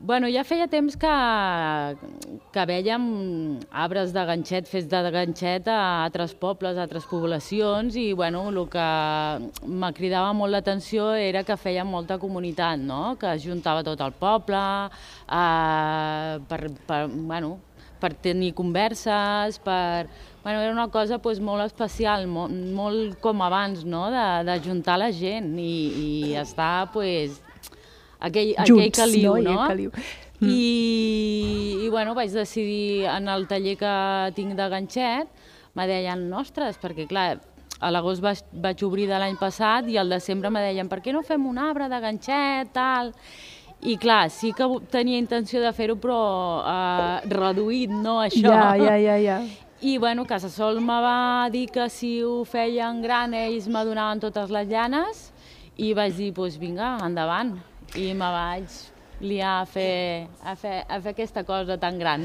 Bueno, ja feia temps que vèiem arbres de ganxet, fets de ganxet a altres pobles, a altres poblacions, i bueno, el que me cridava molt l'atenció era que feien molta comunitat, no? Que es juntava tot el poble per tenir converses, era una cosa molt especial, molt com abans, no? De juntar la gent i estar, aquell caliu, no? I bueno, vaig decidir, en el taller que tinc de ganxet, me deien, ostres, perquè clar, a l'agost vaig obrir de l'any passat i al desembre me deien, per què no fem un arbre de ganxet, tal? I clar, sí que tenia intenció de fer-ho, però reduït, no això. Ja. I bueno, Casa Sol me va dir que si ho feien gran ells me donaven totes les llanes i vaig dir, doncs vinga, endavant. I me vaig liar a fer aquesta cosa tan gran.